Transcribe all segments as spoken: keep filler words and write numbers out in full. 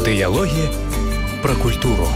Дыялогі пра культуру.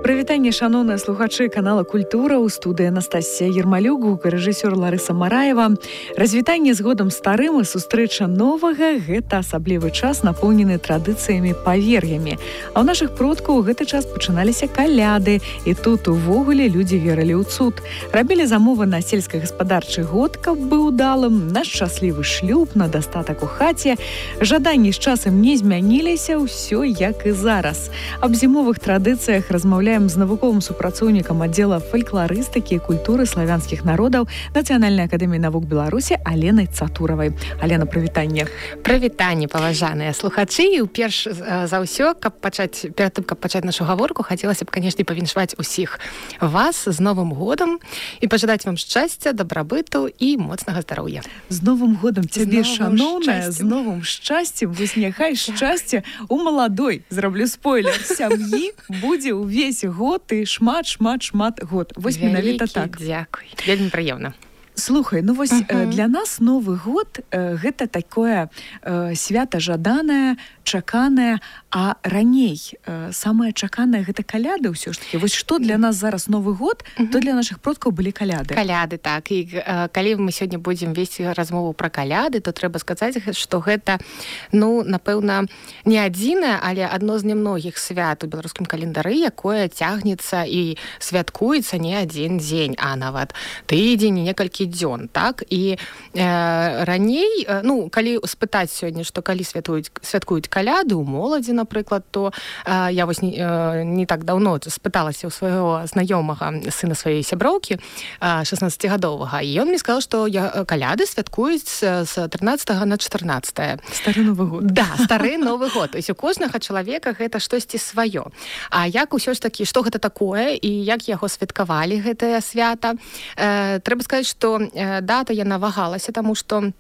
Прывітанне, шаноўныя слухачы канала «Культура», у студыі Анастасія Ермалюк, гукарэжысёр Ларыса Мараева. Развітанне з годам старым і сустрэча новага – гэта асаблівы час, напоўнены традыцыямі, павер'ямі. А ў нашых продкаў у гэты час пачыналіся каляды, і тут увогуле людзі верылі ў цуд. Рабілі замовы на сельскагаспадарчы год, каб быў удалым, на шчаслівы шлюб, на дастатак у хаце. Жаданні з часам не змяніліся, ўсё як і зараз. Аб зімовых традыцыях размаўляем з навуковым супрацоўнікам аддзела фалькларыстыкі і культуры славянскіх народаў Нацыянальнай акадэміі навук Беларусі Аленай Цатуравай. Алена, прывітанне. Прывітанне, паважаныя слухачы. І перш за ўсё, каб пачаць, перад тым, каб пачаць нашу гаворку, хацелася б, канешне, павіншаваць усіх вас з Новым годам і пажадаць вам шчасця, дабрабыту і моцнага здароўя. З Новым годам цябе, шаноўная, з новым шчасцем. Вось няхай шчасце у маладой, зраблю спойлер, сям'і будзе ўвесь год і шмат, шмат, шмат год. Вось менавіта так. Дзякуй. Вельмі прыемна. Слухай, ну вось uh-huh. для нас Новы год э, гэта такое э, свята жаданае, чаканае, а раней э, самае чаканае гэта каляды ўсё ж таки. Вось што для нас зараз Новы год, uh-huh. то для нашых продкаў былі каляды. Каляды, так. І э, калі мы сёння будзем весці размову пра каляды, то трэба сказаць, што гэта, ну, напэўна, не адзінае, але адно з немногіх свят у беларускім календары, якое цягнецца і святкуецца не адзін дзень, а нават тыдзень, некалькі дзён, так? І э, раней, э, ну, калі спытаць сёння, што калі святуюць, святкуюць каляды ў моладзі, напрыклад, то э, я вось не, э, не так даўно спыталася ў свайго знаёмага сына сваёй сяброўкі, э, шаснаццацігадовага, і ён мне сказаў, што я, каляды святкуюць з трынаццатага на чатырнаццатае. Стары Новы год. Да, стары Новы год. То есть у кожнага чалавека гэта штосьці сваё. А як усё ж такі, што гэта такое і як яго святкавалі гэтае свята? Э, трэба сказаць, што дата яна вагалася, таму што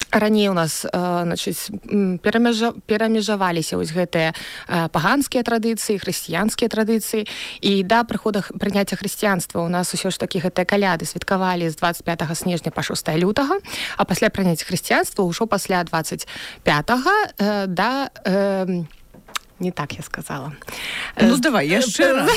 раней у нас значыць, перамежа, перамежаваліся вось гэтыя паганскія традыцыі, хрысціянскія традыцыі, і да прыхода прыняцця хрысціянства у нас усё ж такі гэтыя каляды святкавалі з дваццаць пятага снежня па шостае лютага, а пасля прыняцця хрысціянства ўжо пасля дваццаць пятага да... Э, не так я сказала. Ну, давай, яшчэ раз.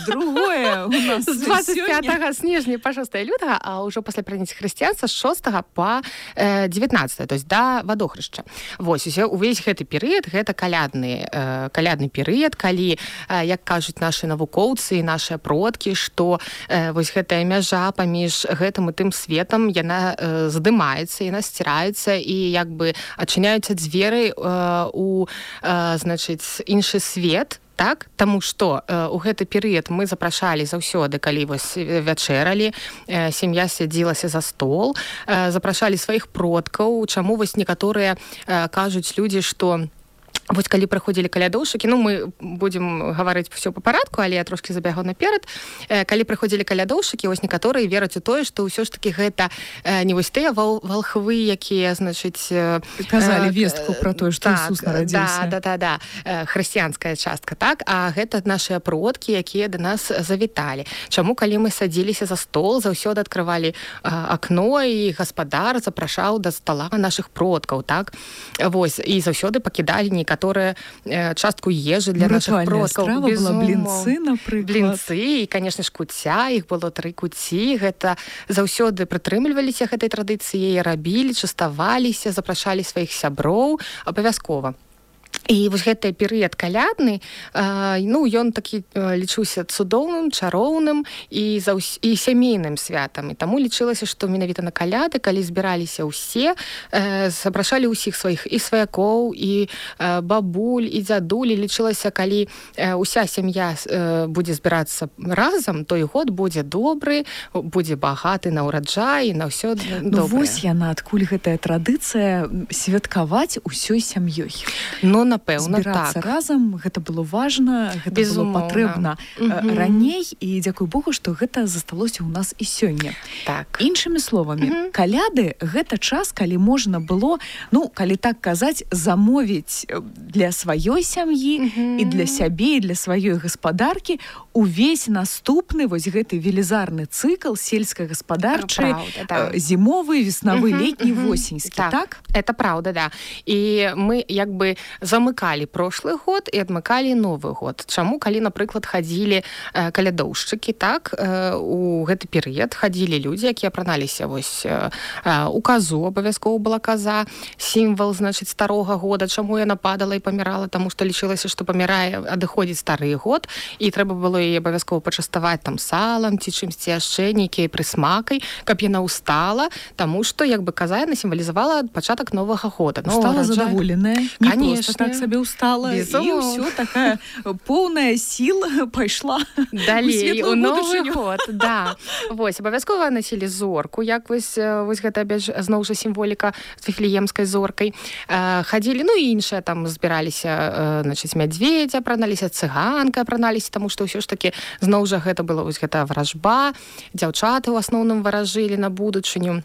Другое у нас з дваццаць пятага снежня па шостае лютага, а ўжо пасля прыняцця хрысціянства з шостага па дзевятнаццатае, то есть да вадохрышча. Вось, увесь гэты перыяд, гэта калядны, калядны перыяд, калі, як кажуць нашы навукоўцы і нашыя продкі, што вось гэтая мяжа паміж гэтым і тым светам, яна здымаецца, яна сціраецца, і як бы адчыняюцца дзверы у, значыць, іншы свет, так? Таму што э, у гэты перыяд мы запрашалі заўсёды, калі вось вячэралі, э, сям'я сядзілася за стол, э, запрашалі сваіх продкаў, чаму вось некаторыя э, кажуць людзі, што вось калі прыходзілі калядоўшчыкі, ну, мы будзем гаварыць ўсё па парадку, але я трошкі забягу наперад. Э, калі прыходзілі калядоўшчыкі, вось некаторыя вераць у тое, што ўсё ж такі гэта э, не вось тыя вал, валхвы, якія, значыць... Э, казалі вестку пра тое, што так, Ісус нарадзіўся. Да, да, да, да. Э, хрысціянская частка, так? А гэта нашыя продкі, якія да нас завіталі. Чаму, калі мы садзіліся за стол, заўсёды адкрывалі э, акно, і гаспадар запрашаў да стала нашых продкаў, так? Вось, і заўсёды пакідалі некаторыя которая э, частку ежы для ну, наших продкаў. Страва была блінцы, напрыклад. Блінцы, і, конечно ж, куця, іх было тры куці. Гэта заўсёды прытрымліваліся гэтай традыцыі, рабілі, частаваліся, запрашалі сваіх сяброў абавязкова. І вось гэты перыяд калядны, э, ну, ён такі э, лічыўся цудоўным, чароўным і, заўс... і сямейным святам. І таму лічылася, што менавіта на каляды, калі збіраліся ўсе, э, запрашалі ўсіх сваіх і сваякоў, і э, бабуль, і дзядулі. Лічылася, калі э, уся сям'я э, будзе збірацца разам, то і год будзе добры, будзе багаты на ўраджай, на ўсё добрае. Ну, вось яна, адкуль гэтая традыцыя святкаваць усёй сям'ёй. Ну, напэўна, збірацца так. разам, гэта было важна, гэта Безумоўна. было патрэбна Мгм. раней, і дзякуй Богу, што гэта засталося ў нас і сёння. Так. Іншымі словамі, Мгм. каляды гэта час, калі можна было, ну, калі так казаць, замовіць для сваёй сям'і Мгм. і для сябе, і для сваёй гаспадаркі увесь наступны вось гэты велізарны цыкл сельскагаспадарчы, Праўда, да. зімовы, веснавы, Мгм, летні, мгм. восеньскі, так? Так, это правда, да. І мы як бы замыкалі прошлый год і адмыкалі новы год. Чаму, калі, напрыклад, хадзілі э, калядоўшчыкі, так, э, у гэты перыяд хадзілі людзі, якія апраналіся вось э, э, у казу, абавязкова была каза, сімвал, значыць, старога года. Чаму яна падала і памірала? Таму што лічылася, што памірае, адыходзіць стары год, і трэба было яе абавязкова пачаставаць там салам ці чымсьці яшчэ, нейкай прысмакай, каб яна ўстала, таму што як бы каза яна сімвалізавала пачатак новага года. Стала задаволеная, не Конечно. просто так сабе устала, і Безумоўна. ўсё, такая поўная сіл пайшла далей у у новы будучыню. год, да. Вось, абавязкова насілі зорку, як вось, э, вось гэта опять же, зноў жа сімволіка з віфлеемскай зоркай. Э, хадзілі, ну і іншыя там збіраліся, э, значыць, мядзведзя, апраналіся, цыганка апраналіся, таму што ўсё ж такі зноў жа гэта была вось гэта варажба, дзяўчаты ў асноўным варажылі на будучыню.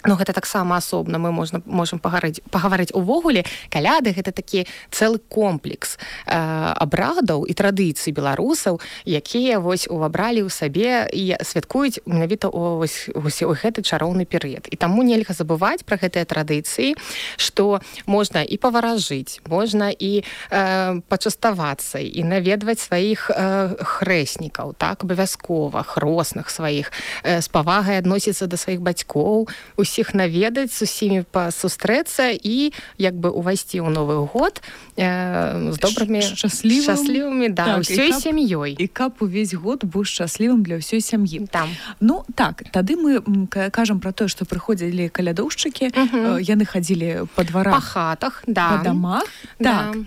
Ну, гэта таксама асобна мы можна, можам пагаварыць, пагаварыць увогуле. Каляды гэта такі цэлы комплекс э, абрадаў і традыцый беларусаў, якія вось увабралі ў сабе і святкуюць менавіта ў, вось, вось, у гэты чароўны перыяд. І таму нельга забываць пра гэтыя традыцыі, што можна і паваражыць, можна і э, пачаставацца, і наведваць сваіх э, хрэснікаў, так, абавязкова, хросных сваіх, э, з павагай адносіцца да сваіх бацькоў, усіх наведаць, з усімі пасустрэцца і як бы увайсці ў новы год э, з добрымі шчаслівым, шчаслівымі, да, так, ўсёй і каб, сям'ёй. І каб увесь год быў шчаслівым для ўсёй сям'і. Там. Ну, так, тады мы м, ка- кажам пра тое, што прыходзілі калядоўшчыкі, Мгм. э, яны хадзілі па Па дварах, хатах, да. па дамах. Да. Так.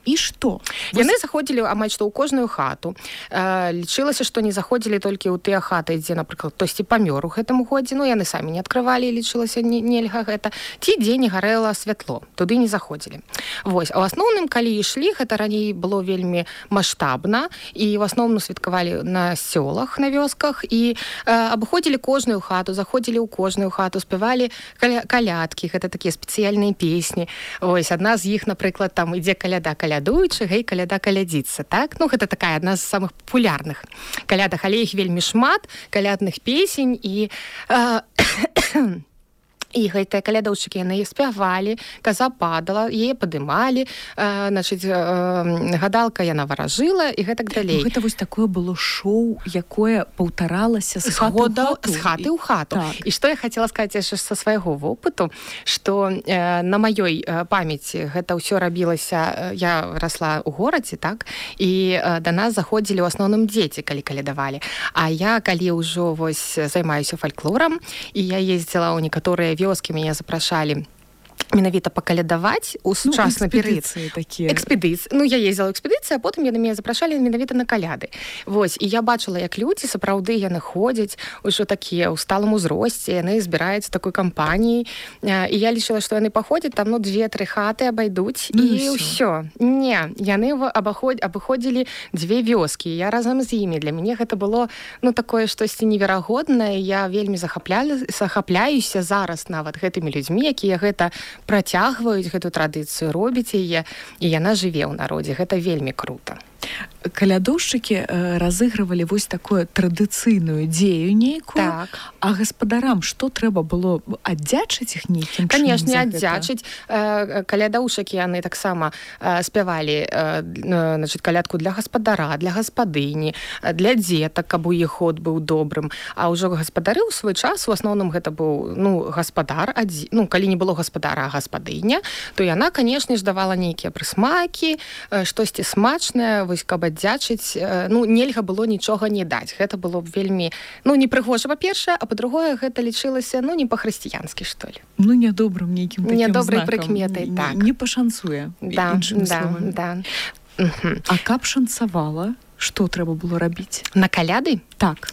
І што? Яны заходзілі амаль што ў кожную хату. Э, лічылася, што не заходзілі толькі ў тыя хаты, дзе, напрыклад, хтосьці памёр у гэтым годзе, ну яны самі не адкрывалі, лічылася не, нельга гэта, ці дзе не гарэла святло, туды не заходзілі. Вось, а ў асноўным, калі ішлі, гэта раней было вельмі маштабна, і ў асноўным святкавалі на сёлах, на вёсках, і э, абыходзілі кожную хату, заходзілі ў кожную хату, спявалі каля, калядкі, гэта такія спецыяльныя песні. Вось, адна з іх, напрыклад, там ідзе каляда, калядуючы, гэй, каляда калядзіцца, так? Ну, гэта такая адна з самых папулярных калядах, але іх вельмі шмат, калядных песень, і э, і гэтыя калядоўшчыкі, яны спявалі, каза падала, яе падымалі, э, значыць, э, гадалка яна варажыла, і гэтак далей. Ну, гэта вось такое было шоу, якое паўтаралася з З хаты ў года, хату. з хаты ў хату. Так. І што я хацела сказаць яшчэ са свайго вопыту, што э, на маёй э, памяці гэта ўсё рабілася, э, я расла ў горадзе, так, і э, да нас заходзілі ў асноўным дзеці, калі калядавалі. А я, калі ўжо вось займаюся фальклорам, і я ездзіла ў некаторыя вёскі, мяне запрашалі менавіта пакалядаваць у сучасны ну, перыяд. Такія. Экспедыцыі. Ну, я ездзіла ў экспедыцыі, а потым яны мяне запрашалі менавіта на каляды. Вось, і я бачыла, як людзі, сапраўды, яны ходзяць ужо такія ў сталым узросце, яны збіраюцца такой кампаніяй, і я лічыла, што яны паходзяць, там, ну, две-тры хаты абайдуць, ну, і ўсё. Не, яны абыходзілі дзве вёскі, я разам з імі. Для мяне гэта было, ну, такое штосьці неверагоднае, я вельмі захапляюся зараз нават гэтымі людзьмі, якія гэта працягваюць гэту традыцыю, робіць яе, і яна жыве ў народзе. Гэта вельмі крута. Калядоўшчыкі э, разыгрывалі вось такую традыцыйную дзею нейкую, Так. а гаспадарам што трэба было аддзячыць іх нейкім чынам? Канешне, за гэта? аддзячыць. Э, калядоўшчыкі яны таксама э, спявалі э, значит, калядку для гаспадара, для гаспадыні, для дзетак, каб у іх ход быў добрым. А ўжо гаспадары ў свой час, у асноўным гэта быў, ну, гаспадар, адзі... ну, калі не было гаспадара, а гаспадыня, то яна, канешне ж, давала нейкія прысмакі, э, штосьці смачнае, вось каб аддзячыць, ну, нельга было нічога не даць. Гэта было б вельмі, ну, непрыгожа, па-першае, а па-другое, гэта лічылася, ну, не па-хрысціянскі, што ли. Ну, нядобрым нейкім такім Нядобрай знакам. прыкметай, так. Не, не пашанцуе, Да, іншымі да, словамі. да. Угу. А каб шанцавала, што трэба было рабіць? На каляды? Так.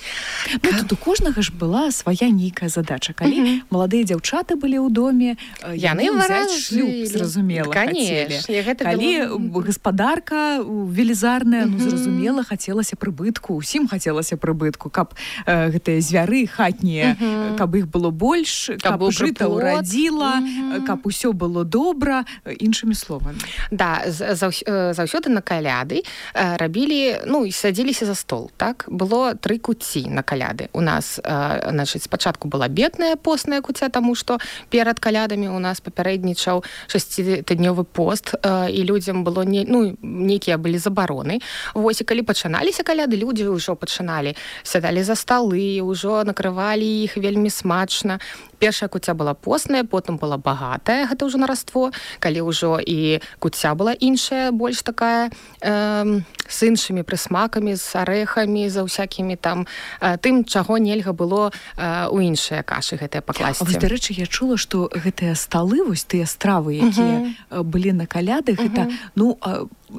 Ну, тут у кожнага ж была свая нейкая задача. Калі uh-huh. маладыя дзяўчаты былі ў доме, яны ўзяць шлюб, зразумела, хацелі. Калі было... гаспадарка велізарная, uh-huh. ну, зразумела, хацелася прыбытку, усім хацелася прыбытку, каб э, гэтыя звяры хатнія, uh-huh. каб іх было больш, каб, каб жыта ўрадзіла, uh-huh. каб усё было добра, іншымі словамі. Да, заўсёды на каляды рабілі, ну, і садзіліся за стол, так? Было тры куці на каляды. У нас, э, значит, спачатку была бедная постная куця, таму што перад калядамі у нас папярэднічаў шасціднёвы пост, э, і людзям было не, ну, нейкія былі забароны. Вось, і калі пачыналіся каляды, людзі ўжо пачыналі, сядалі за сталы, ўжо накрывалі іх вельмі смачна. Першая куця была постная, потым была багатая, гэта ўжо нараство, калі ўжо і куця была іншая, больш такая, э, з іншымі прысмакамі, з арэхамі, за ўсякімі там, э, тым, чаго нельга было э, у іншыя кашы гэтыя пакласці. А вось, дарэчы, я чула, што гэтыя сталы, вось тыя стравы, якія uh-huh. былі на каляды, гэта, uh-huh. ну,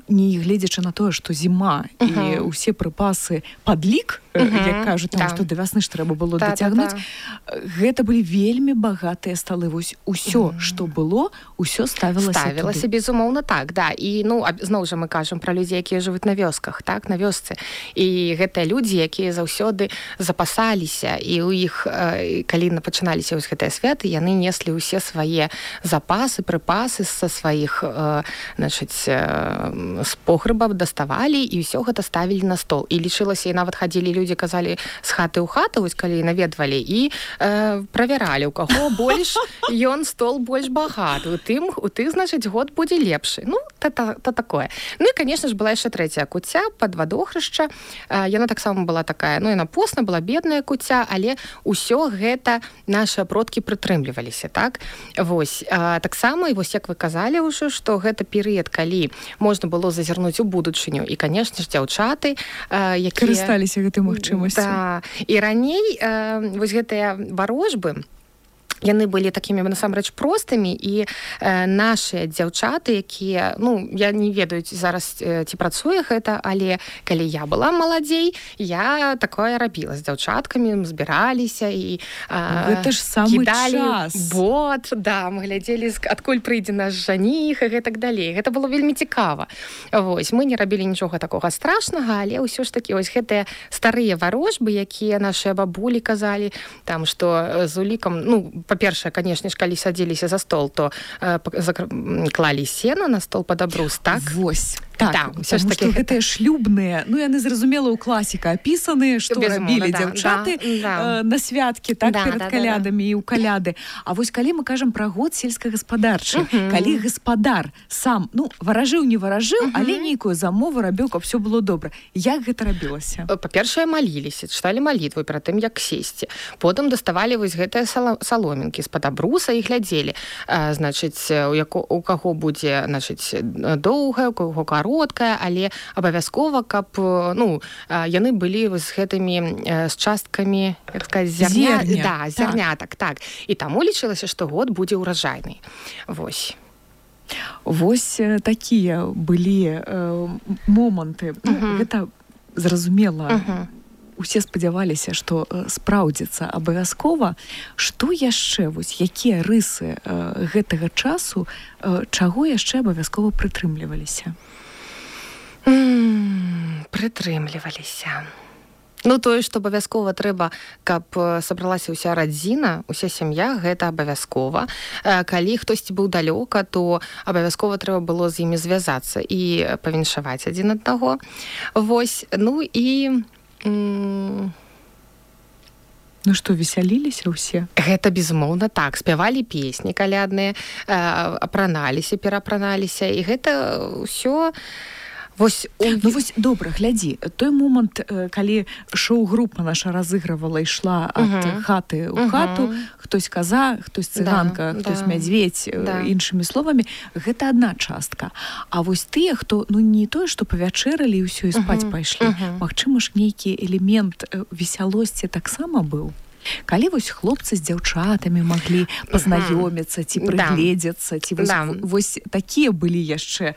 не гледзячы на тое, што зіма uh-huh. і ўсе прыпасы падлік, uh-huh. як кажуць, там, што да вясны ж трэба было да, дацягнуць, да, да. Гэта былі вельмі багатыя сталы. Вось усё, uh-huh. што было, усё ставілася Ставілася, туды. Безумоўна, так, да. І, ну, зноў жа мы кажам пра людзей, якія жывуць на вёсках, так, на вёсцы. І гэтыя людзі, якія заўсёды запасаліся, і ў іх, калі пачыналіся вось гэтыя святы, яны неслі ўсе свае запасы, прыпасы са сваіх, значыць, з погрэба даставалі, і ўсё гэта ставілі на стол. І лічылася, і нават хадзілі людзі, казалі, з хаты ў хату, вось калі наведвалі, і э, правяралі, у каго больш ён стол больш багаты. У тым, у тых, значыць, год будзе лепшы. Ну, то, то, то такое. Ну і, конечно ж, была яшчэ трэцяя куця пад вадохрышча. Э, яна таксама была такая, ну, яна постна, была бедная куця, але ўсё гэта нашы продкі прытрымліваліся, так? Вось. Э, таксама, і вось як вы казалі ўжо, што гэта перыяд, калі можна было зазірнуць у будучыню. І, конечно ж, дзяўчаты, э, якія... Карысталіся гэтай магчымасцю. Да. І раней э, вось гэтыя варожбы, яны былі такімі, насамрэч, простымі, і э, нашыя дзяўчаты, якія, ну, я не ведаю зараз, э, ці працуе гэта, але калі я была маладзей, я такое рабіла з дзяўчаткамі, збіраліся і э, гэта ж самы час. Бот, да, мы глядзелі, адкуль прыйдзе наш жаніх, і гэтак далей. Гэта было вельмі цікава. Вось, мы не рабілі нічога такога страшнага, але ўсё ж такі, ось гэтыя старыя варожбы, якія нашыя бабулі казалі, там, што з улікам, ну, па-першае, канешне ж, калі садзіліся за стол, то э, закр... клалі сена на стол пад абрус, так? Вось. Так, да, ўсё ж такі гэтыя шлюбныя, ну, яны, зразумела, ў класіка апісаныя, што рабілі да, дзяўчаты да, да. Э, на святкі, так, да, перад да, калядамі да, да. і ў каляды. А вось калі мы кажам пра год сельскагаспадарчы, uh-huh. калі гаспадар сам, ну, варажыў, не варажыў, uh-huh. але нейкую замову рабіў, каб всё было добра. Як гэта рабілася? Па-першае, маліліся, чыталі малітву перад тым, як сесці. Потым даставалі вось гэтыя саломінкі з-пад абруса і глядзелі. А, значыць, у, яко, у каго будзе, значыць, доўгая, у каго кароткая, але абавязкова, каб, ну, яны былі з гэтымі, з часткамі, як сказаць, зярня. Зерня. Да, зярнятак, так. так. І таму лічылася, што год будзе ўраджайны. Вось. Вось такія былі э, моманты. Uh-huh. Гэта зразумела. Uh-huh. Усе спадзяваліся, што спраўдзіцца абавязкова. Што яшчэ, вось, якія рысы э, гэтага часу, э, чаго яшчэ абавязкова прытрымліваліся? Mm, прытрымліваліся. Ну, тое, што абавязкова трэба, каб сабралася ўся радзіна, уся сям'я, гэта абавязкова. Калі хтосьці быў далёка, то абавязкова трэба было з імі звязацца і павіншаваць адзін аднаго. Вось, ну і... Ну што, весяліліся ўсе? Гэта, безумоўна, так. Спявалі песні калядныя, апраналіся, перапраналіся, і гэта ўсё... Вось, ну вось, добра, глядзі, той момант, калі шоу-група наша разыгрывала, ішла ад uh-huh. хаты ў uh-huh. хату, хтось каза, хтось цыганка, да, хтось да. мядзведь, да. іншымі словамі, гэта адна частка. А вось тыя, хто, ну не тое, што павячэралі і ўсё, і спаць uh-huh. пайшлі, uh-huh. магчыма ж, нейкі элемент весялосці таксама быў? Калі вось хлопцы з дзяўчатамі маглі пазнаёміцца ці прыгледзецца, ці вось, да. вось такія былі яшчэ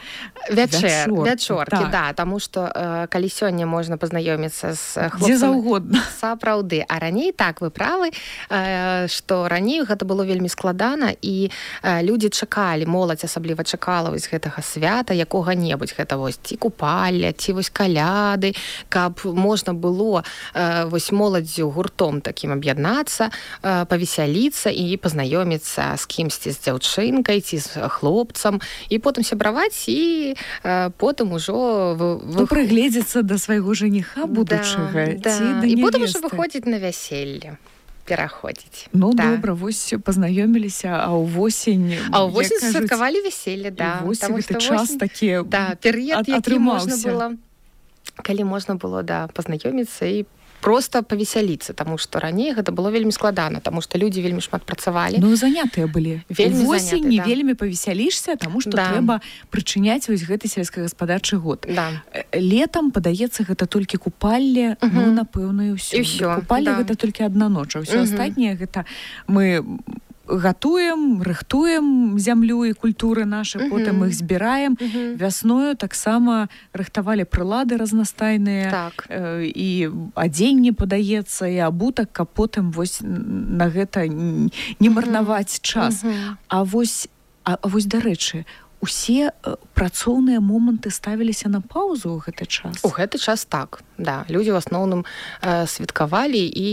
вячэр, вячоркі, так. да, таму што э, калі сёння можна пазнаёміцца з хлопцамі дзе заўгодна. Сапраўды, а раней так вы правы, э, што раней гэта было вельмі складана і э, людзі чакалі, моладзь асабліва чакала вось гэтага свята якога-небудзь, гэта вось ці купалля, ці вось каляды, каб можна было э, вось моладзю гуртом такім аб'яднацца, павесяліцца і пазнаёміцца з кімсьці, з дзяўчынкай ці з хлопцам, і потым сябраваць, і э, потым ужо вы, вы... прыгледзецца да свайго жаніха будучага, да, ці да. да і потым ужо выходзіць на вяселле. Пераходзіць. Ну, да. добра, вось пазнаёміліся, а ўвосень... А ўвосень святкавалі вяселле, да. Вось гэты час осень... такі да, перыяд, які можна было, калі можна было, да, пазнаёміцца і просто павесяліцца, таму што раней гэта было вельмі складана, таму што людзі вельмі шмат працавалі. Ну, занятыя былі. Вельмі восень заняты, не да. вельмі павесялішся, таму што да. трэба прычыняць вось гэты сельскагаспадарчы год. Да. Летам, падаецца, гэта толькі купалле, uh-huh. ну, напэўна, і ўсё. І ўсё. Купалле да. гэта толькі адна ноч, а ўсё uh-huh. астатняе гэта мы... гатуем, рыхтуем зямлю і культуры нашы, uh-huh. потым іх збіраем. Uh-huh. Вясною таксама рыхтавалі прылады разнастайныя, так. э, і адзенне падаецца, і абутак, каб потым вось на гэта не марнаваць uh-huh. час. Uh-huh. А вось, а, а вось дарэчы, усе э, працоўныя моманты ставіліся на паўзу ў гэты час? У гэты час так, да. Людзі ў асноўным э, святкавалі і,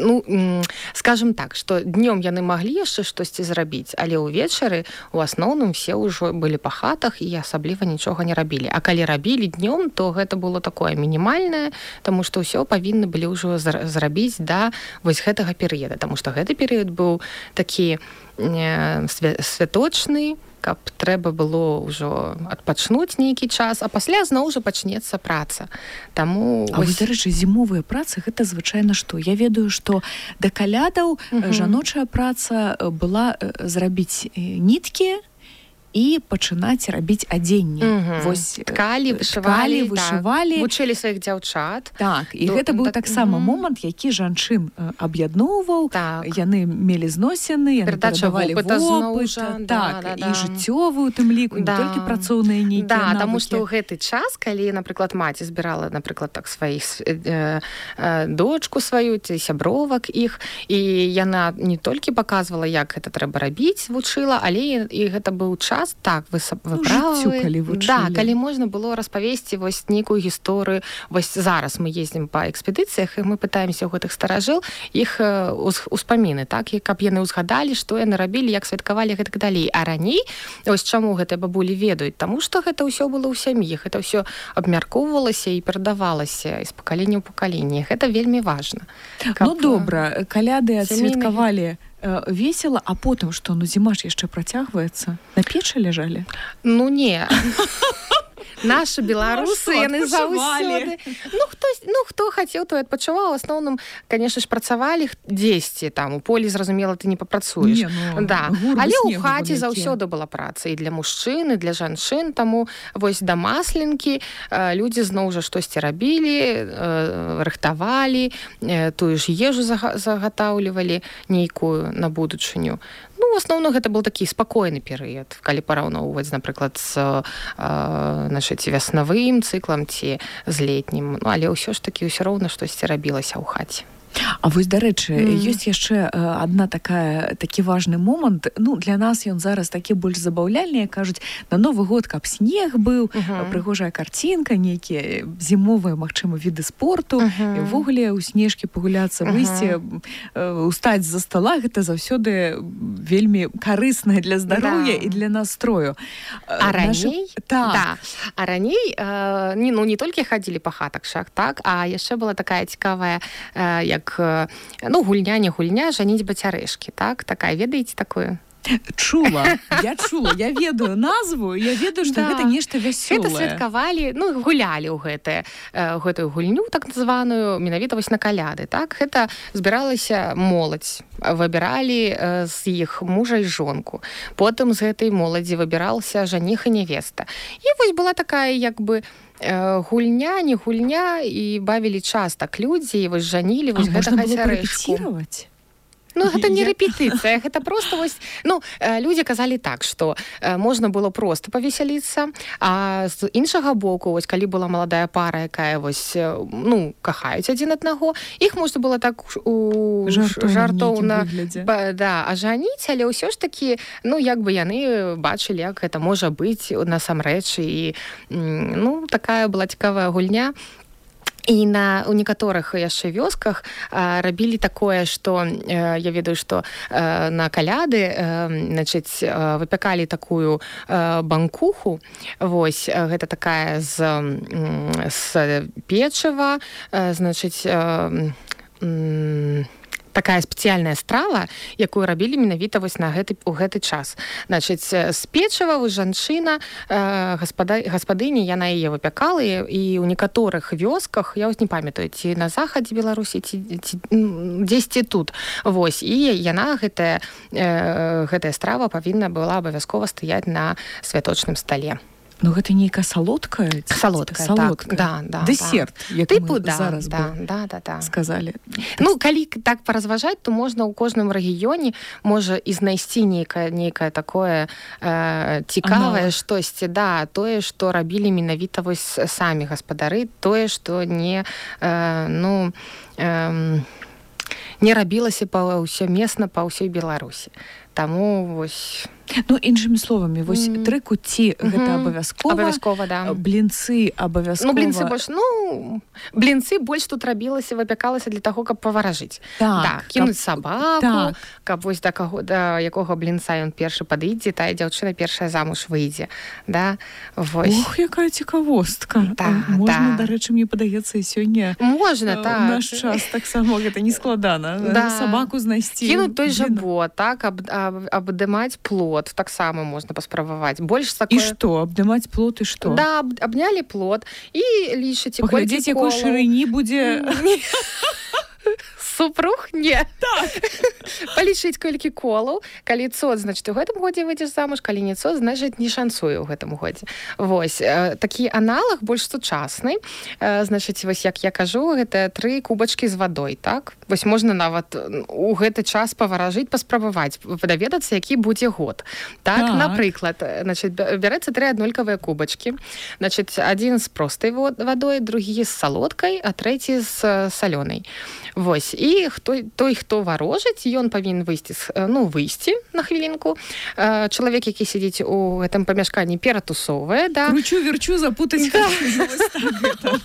ну, м, скажем так, што днём яны маглі яшчэ штосьці зрабіць, але ўвечары ў асноўным все ўжо былі па хатах і асабліва нічога не рабілі. А калі рабілі днём, то гэта было такое мінімальнае, таму што ўсё павінны былі ўжо зрабіць да вось гэтага перыяда, таму што гэты перыяд быў такі э, святочны, каб трэба было ўжо адпачнуць нейкі час, а пасля зноў жа пачнецца праца. Таму А вось, дарэчы, зімовыя працы гэта звычайна што? Я ведаю, што да калядаў uh-huh. жаночая праца была зрабіць ніткі і пачынаць рабіць адзенне. Uh-huh. Вось ткалі, вышывалі, ткалі, вышывалі. Так. Вучылі сваіх дзяўчат. Так, і До, гэта быў так, таксама uh-huh. момант, які жанчын аб'ядноўваў. Так. Яны мелі зносіны, яны перадача перадавалі вопыта, вопыт, да, так, да, і да. жыццёвую тым ліку, да. не толькі працоўныя нейкія да, навыкі. Таму што ў гэты час, калі, напрыклад, маці збірала, напрыклад, так сваіх э, э, дочку сваю, ці сябровак іх, і яна не толькі паказвала, як гэта трэба рабіць, вучыла, але і гэта быў час, так, вы Ну, жыццю, калі вучылі. Да, калі можна было распавесці вось нейкую гісторыю. Вось зараз мы ездзім па экспедыцыях, і мы пытаемся ў гэтых старажыл іх успаміны, так, і каб яны ўзгадалі, што яны рабілі, як святкавалі гэтак далей. А раней, вось чаму гэтыя бабулі ведаюць? Таму што гэта ўсё было ў сям'і, гэта ўсё абмяркоўвалася і перадавалася з пакалення ў пакаленне. Гэта вельмі важна. Каб... Ну, добра, каляды адсвяткавалі весела, а потым што, ну зіма ж яшчэ працягваецца? На печы ляжалі? Ну не. Нашы беларусы, ну, яны заўсёды. Ну хто, ну, хто хацеў, той адпачываў. У асноўным, канешне ж, працавалі дзесьці там. У полі, зразумела, ты не папрацуеш. Не, ну, да. Але ў хаце заўсёды была праца і для мужчын, і для жанчын. Таму вось да масленкі людзі зноў жа штосьці рабілі, рыхтавалі, тую ж ежу загатаўлівалі нейкую на будучыню. Ну, в асноўным, гэта был такі спакойны перыяд, калі параўноўваць, напрыклад, з э, нашай ці вяснавым цыклам, ці з летнім. Ну, але ўсё ж такі ўсё роўна штосьці рабілася ў хаце. А вось, дарэчы, mm. ёсць яшчэ адна такая, такі важны момант. Ну, для нас ён зараз такі больш забаўляльны, кажуць, на Новы год, каб снег быў, uh-huh. прыгожая карцінка, нейкія зімовыя, магчыма, віды спорту, uh-huh. і ўвогуле ў снежкі пагуляцца, выйсці, uh-huh. устаць з-за стола, гэта заўсёды вельмі карысна для здароўя да. і для настрою. А раней? Наша... Так. Да. А раней, э, не, ну, не толькі хадзілі па хатах шах, так, а яшчэ была такая цікавая, э, як ну, гульня, не гульня, жаніць бацярэшкі, так? Такая, ведаеце такую? Чула, я чула, я ведаю назву, я ведаю, што Да. гэта нешта вясёлае. Гэта святкавалі, ну, гулялі ў гэтае, э, гэтую гульню, так званую, менавіта вось на каляды, так? Гэта збіралася моладзь, выбіралі э, з іх мужа і жонку. Потым з гэтай моладзі выбіраўся жаніх і невеста. І вось была такая, як бы, э, гульня, не гульня, і бавілі час так людзі, і вось жанілі вось А можна гэтага было цярэшку. парэпеціраваць? Ну, гэта не Я- рэпетыцыя, гэта проста вось, ну, э, людзі казалі так, што э, можна было проста павесяліцца, а з іншага боку, вось, калі была маладая пара, якая вось, э, ну, кахаюць адзін аднаго, іх можна было так у- у Жартоўна, жартоўна нейкім выглядзе. ба- да, ажаніць, але ўсё ж такі, ну, як бы яны бачылі, як гэта можа быць насамрэч, і, м, ну, такая была цікавая гульня. І на, у некаторых яшчэ вёсках а, рабілі такое, што э, я ведаю, што э, на каляды э, значыць, э, выпякалі такую э, банкуху. Вось, э, гэта такая з, м, з печыва, э, значыць, э, м, такая спецыяльная страва, якую рабілі менавіта вось на гэты, у гэты час. Значыць, з печыва вось жанчына, э, гаспада, гаспадыня, яна яе выпякала, і, і ў некаторых вёсках, я вось не памятаю, ці на захадзе Беларусі, ці, ці м, дзесьці тут. Вось, і яна, гэтая, э, гэтая страва павінна была абавязкова стаяць на святочным стале. Ну, гэта нейкая салодкая? ці- Салодкая, салодкая. так, да, да, Дэсерт, як Тыпу, мы да, зараз да, бы да, да, да. сказалі. Ну, калі так паразважаць, то можна ў кожным рэгіёне можа і знайсці нейкае, нейкае такое э, цікавае Аналог. штосьці, да, тое, што рабілі менавіта вось самі гаспадары, тое, што не, э, ну, э, не рабілася паўсёмесна па ўсёй Беларусі. Таму вось... Ну, іншымі словамі, вось Мгм. тры куці гэта Мгм. абавязкова. Абавязкова, да. Блінцы абавязкова. Ну, блінцы больш, ну, блінцы больш тут рабілася, выпякалася для таго, каб паваражыць. Так, да, кінуць каб- сабаку, так. каб вось да каго, да якога блінца ён першы падыдзе, тая дзяўчына першая замуж выйдзе. Да? Вось. Ох, якая цікавостка. Да, Можна, да. дарэчы, мне падаецца, і сёння Можна, э, так. у наш час таксама гэта не складана. Да. Сабаку знайсці. Кінуць той жа Блін. бот, так, аб, аб, абдымаць плод, таксама можна паспрабаваць. Больш І такое... што, абдымаць плот і што? Да, аб, абнялі плод і лічыце, Паглядзець, якой шырыні будзе... Супруг не. Так. Палічыць колькі колаў. Калі цот, значыць, у гэтым годзе выйдзеш замуж, калі не цот, значыць, не шансуе ў гэтым годзе. Вось. Э, такі аналаг больш сучасны. Э, значыць, вось як я кажу, гэта тры кубачкі з вадой, так? Вось можна нават у гэты час паваражыць, паспрабаваць, даведацца, які будзе год. Так, Так. напрыклад, значыць, бярэцца тры аднолькавыя кубачкі. Значыць, адзін з простай вадой, другі з салодкай, а трэці з салёнай. Вось. І хто, той, хто варожыць, ён павінен выйсці, ну, выйсці на хвілінку. Чалавек, які сидзіць у гэтым памяшканні, ператусоўвае, да. Кручу, верчу, запутаць. Да. Вось так гэта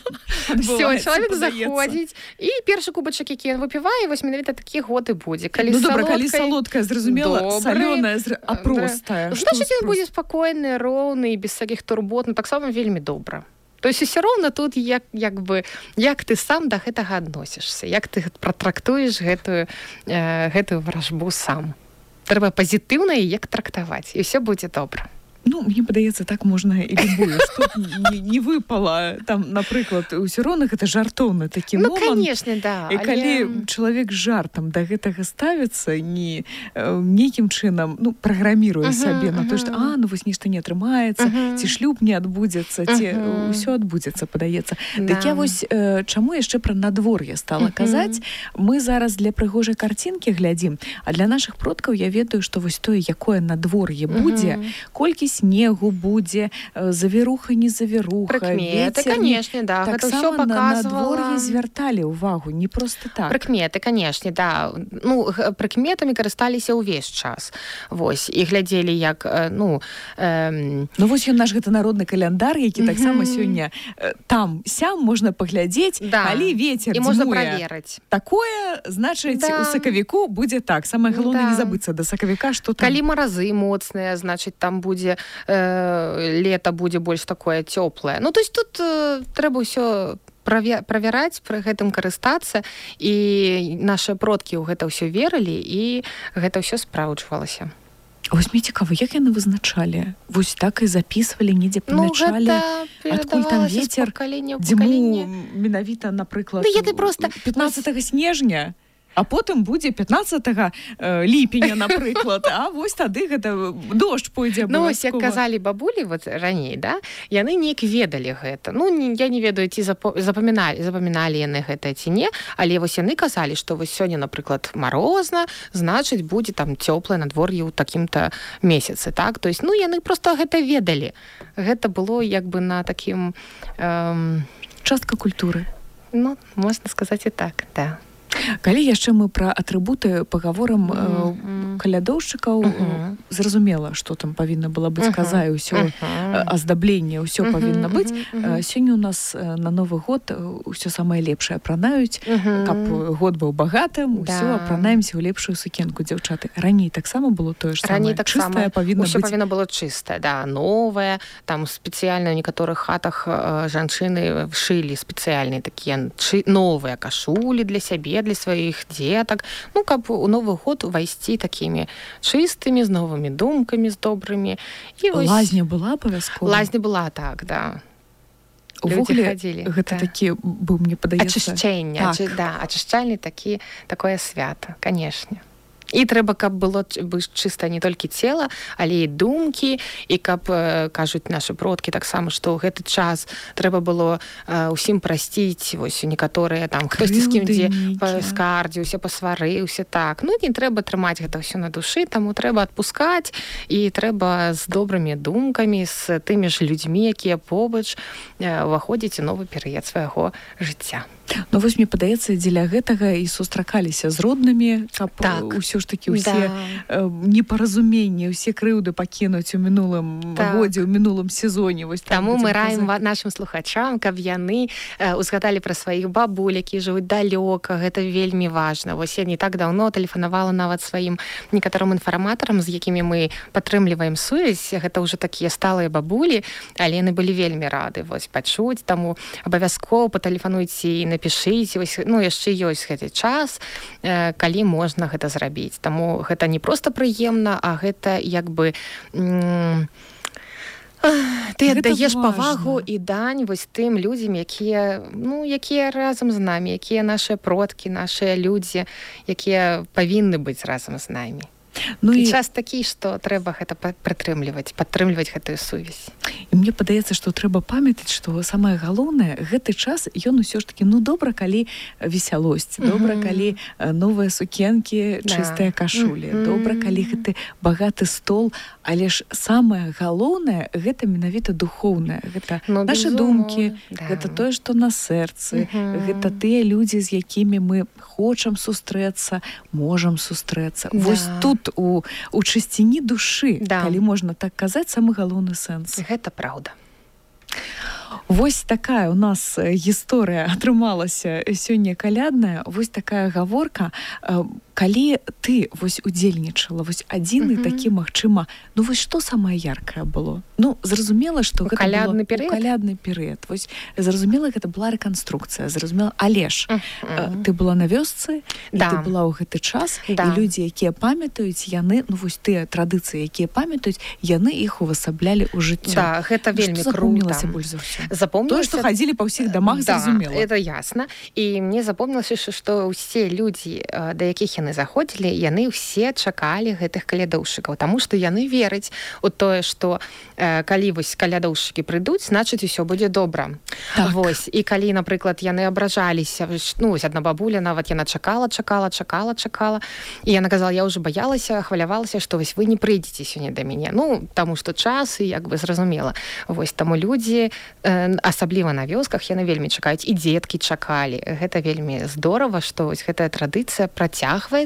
Все, адбываецца, чалавек падаецца. заходзіць, і першы кубачак, які ён выпівае, вось менавіта такі год і будзе. Калі Ну, добра, калі салодкай- салодкая, зразумела, Добры. салёная, зр- а Да. простая. Што Значыць, ён з будзе спакойны, роўны, без всякіх турбот, ну, таксама вельмі добра. То есть усё роўна тут як, як бы, як ты сам да гэтага адносішся, як ты пратрактуеш гэтую, э, гэтую варажбу сам. Трэба пазітыўна і як трактаваць, і ўсё будзе добра. Ну, мне падаецца, так можна і любую, што б не, не выпала. Там, напрыклад, усё роўна гэта жартоўны такі Ну, момант. канешне, да. І калі але... чалавек з жартам да гэтага ставіцца, не э, нейкім чынам, ну, праграміруе Мгм, сабе на то, што, мгм. а, ну, вось нешта не атрымаецца, Мгм. ці шлюб не адбудзецца, ці Мгм. ўсё адбудзецца, падаецца. Да. Так я вось, э, чаму яшчэ пра надвор'е стала Мгм. казаць? Мы зараз для прыгожай карцінкі глядзім, а для нашых продкаў я ведаю, што вось тое, якое надвор'е будзе, Мгм. колькі снегу будзе, э, завіруха, не завіруха, Прыкметы, вецер, не- канешне, да, гэта ўсё таксама на паказвала. надвор'е звярталі ўвагу, не проста так. Прыкметы, канешне, да. Ну, г- прыкметамі карысталіся ўвесь час. Вось, і глядзелі, як, э, ну, эм, Ну вось ён наш гэта народны каляндар, які Мгм. таксама сёння э, там сям можна паглядзець, Да. калі вецер і можна дзьмуе праверыць. такое, значыць, Да. у сакавіку будзе так. Самае галоўнае Да. не забыцца да сакавіка, што там. Калі маразы моцныя, значыць, там будзе э, лета будзе больш такое цёплае. Ну, то есть тут э, трэба ўсё праве- правяраць, пры гэтым карыстацца, і нашы продкі ў гэта ўсё верылі, і гэта ўсё спраўджвалася. Вось мне цікава, як яны вызначалі? Вось так і записывалі, недзе памячалі? Ну, адкуль там вецер, дзьму менавіта, напрыклад, ну, просто... пятнадцатага снежня, а потым будзе пятнадцатага ліпеня, напрыклад, а вось тады гэта дождж пойдзе абавязкова. Ну, вось, як казалі бабулі вот раней, да, яны неяк ведалі гэта. Ну, я не ведаю, ці запаміналі, запаміналі яны гэта ці не, але вось яны казалі, што вось сёння, напрыклад, марозна, значыць, будзе там цёплае надвор'е ў такім-то месяцы, так? То есть, ну, яны проста гэта ведалі. Гэта было як бы на такім... Эм... Частка культуры. Ну, можна сказаць і так, да. Калі яшчэ мы пра атрыбуты пагаворам mm-hmm. калядоўшчыкаў, mm-hmm. зразумела, што там павінна была быць каза і ўсё mm-hmm. аздабленне, ўсё mm-hmm. павінна быць. Mm-hmm. Сёння у нас на Новы год ўсё самае лепшае апранаюць, mm-hmm. каб год быў багатым, ўсё да. Апранаемся ў лепшую сукенку, дзяўчаты. Раней таксама было тое ж самае. Так чыстае павінна ўсё быць. Павінна было чыстае, да, новае. Там спецыяльна ў некаторых хатах жанчыны шылі спецыяльныя такія новыя кашулі для сябе, для сваіх дзетак, ну, каб у Новы год увайсці такімі чыстымі, з новымі думкамі, з добрымі. І вось... Лазня была абавязкова? Лазня была, так, да. Увогуле, гэта да. такі, быў, мне падаецца... Ачышчэнне, так. ачы, да, ачышчальны такі, такое свята, канешне. І трэба, каб было чыста не толькі цела, але і думкі, і каб, кажуць нашы продкі таксама, што ў гэты час трэба было ўсім прасціць, вось некаторыя там, хтосьці з кім дзе скардзіўся, пасварыўся, так. Ну, не трэба трымаць гэта ўсё на душы, таму трэба адпускаць, і трэба з добрымі думкамі, з тымі ж людзьмі, якія побач, уваходзіць у новы перыяд свайго жыцця. Ну, вось, мне падаецца, дзеля гэтага і сустракаліся з роднымі, каб так. Усё ж такі ўсе да. непаразуменні, усе крыўды пакінуць у мінулым так. годзе, у мінулым сезоне. Вось, таму мы раім нашым слухачам, каб яны узгадалі пра сваіх бабуль, якія жывуць далёка, гэта вельмі важна. Вось я не так даўно тэлефанавала нават сваім некаторым інфарматарам, з якімі мы падтрымліваем сувязь, гэта ўжо такія сталыя бабулі, але яны былі вельмі рады вось пачуць, таму абавязкова патэлефануйце і напішыце, вось, ну, яшчэ ёсць гэты час, э, калі можна гэта зрабіць. Таму гэта не проста прыемна, а гэта як бы м- ты аддаеш павагу і дань вось тым людзям, якія, ну, якія разам з намі, якія нашыя продкі, нашыя людзі, якія павінны быць разам з намі. Ну, і час такі, што трэба гэта прытрымліваць, падтрымліваць гэтую сувязь. І мне падаецца, што трэба памятаць, што самае галоўнае, гэты час, ён усё ж такі, ну, добра, калі весялосць, mm-hmm. добра, калі новыя сукенкі, чыстыя кашулі, mm-hmm. добра, калі гэты багаты стол, але ж самае галоўнае, гэта менавіта духоўнае, гэта ну, нашы думкі, да. Гэта тое, што на сэрцы, mm-hmm. гэта тыя людзі, з якімі мы хочам сустрэцца, можам сустрэцца. Да. Вось тут у, у чысціні душы, да. Калі можна так казаць, самы галоўны сэнс. Гэта праўда. Вось такая у нас гісторыя атрымалася сёння калядная, вось такая гаворка. Калі ты вось удзельнічала, вось адзіны uh-huh. такі, магчыма, ну вось што самае яркае было? Ну, зразумела, што гэта калядны было у калядны перыяд. Вось зразумела, гэта была рэканструкцыя, зразумела, але ж uh-huh. ты была на вёсцы, да. Ты была ў гэты час, да. І людзі, якія памятаюць, яны, ну вось тыя традыцыі, якія памятаюць, яны іх увасаблялі ў жыццё. Да, гэта вельмі крута. Запомнілася больш за ўсё? Запомнілася... Тое, што хадзілі па ўсіх дамах, да, зразумела. Это ясна. І мне запомнілася, што ўсе людзі, да якіх яны заходзілі, яны ўсе чакалі гэтых калядоўшчыкаў, таму што яны вераць у тое, што э, калі вось калядоўшчыкі прыйдуць, значыць усё будзе добра. Так. Вось. І калі, напрыклад, яны абражаліся, ну вось адна бабуля нават яна чакала, чакала, чакала, чакала, і яна казала, я ўжо баялася, хвалявалася, што вось вы не прыйдзеце сёння да мяне. Ну, таму што час і як бы зразумела. Вось таму людзі, э, асабліва на вёсках, яны вельмі чакаюць, і дзеткі чакалі. Гэта вельмі здорава, што вось гэтая традыцыя працягваецца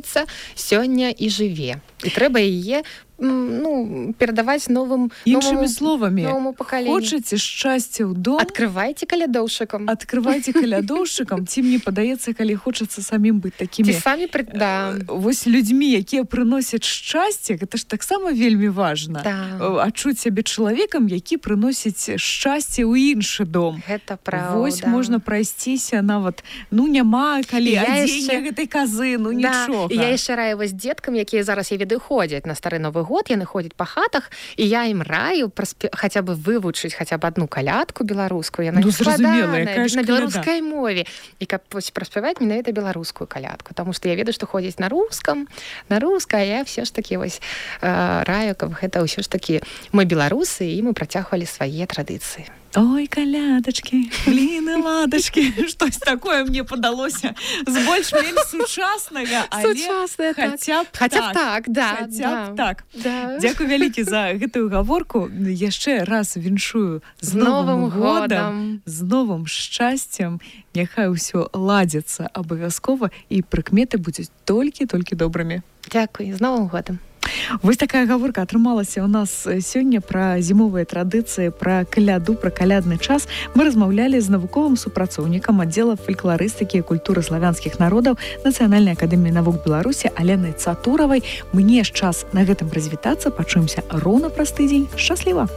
сёння і жыве. І трэба яе ну, перадаваць новым, іншымі новому, словамі. Новому пакаленню. Хочаце шчасця ў дом? Адкрывайце калядоўшчыкам. Адкрывайце калядоўшчыкам. Ці мне падаецца, калі хочацца самім быць такімі... Ці самі, пры... да. Вось людзьмі, якія прыносяць шчасце, гэта ж таксама вельмі важна. Да. Адчуць сябе чалавекам, які прыносіць шчасце ў іншы дом. Гэта правда. Вось можна прайсціся нават, ну, няма калі адзення яшчэ... гэтай казы, ну, да. нічога. І я яшчэ раю вось дзеткам, якія зараз, я ведаю, ходзяць на стары Новы год, год яны ходзяць па хатах, і я ім раю праспе... хаця бы вывучыць хаця б адну калядку беларускую, яна ну, не складаная, на каляда. Беларускай мове, і каб праспяваць менавіта беларускую калядку, таму што я ведаю, што ходзяць на рускам, на рускай, я все ж такі вось э, раю, каб гэта ўсё ж такі мы беларусы, і мы працягвалі свае традыцыі. Ой, калядачкі, бліны, ладачкі, штось такое мне падалося з больш-менш сучаснага, але Сучаснае, хаця б хаця б так, так, да, хаця б да. так. Да. Дзякуй вялікі за гэтую гаворку. Яшчэ раз віншую з, з новым годам, годам, з новым шчасцем. Няхай усё ладзіцца абавязкова, і прыкметы будуць толькі-толькі добрымі. Дзякуй, з новым годам. Вось такая гаворка атрымалася ў нас сёння пра зімовыя традыцыі, пра каляду, пра калядны час. Мы размаўлялі з навуковым супрацоўнікам аддзела фалькларыстыкі і культуры славянскіх народаў Нацыянальнай акадэміі навук Беларусі Аленай Цатуравай. Мне ж час на гэтым развітацца. Пачуемся роўна праз тыдзень. Шчасліва!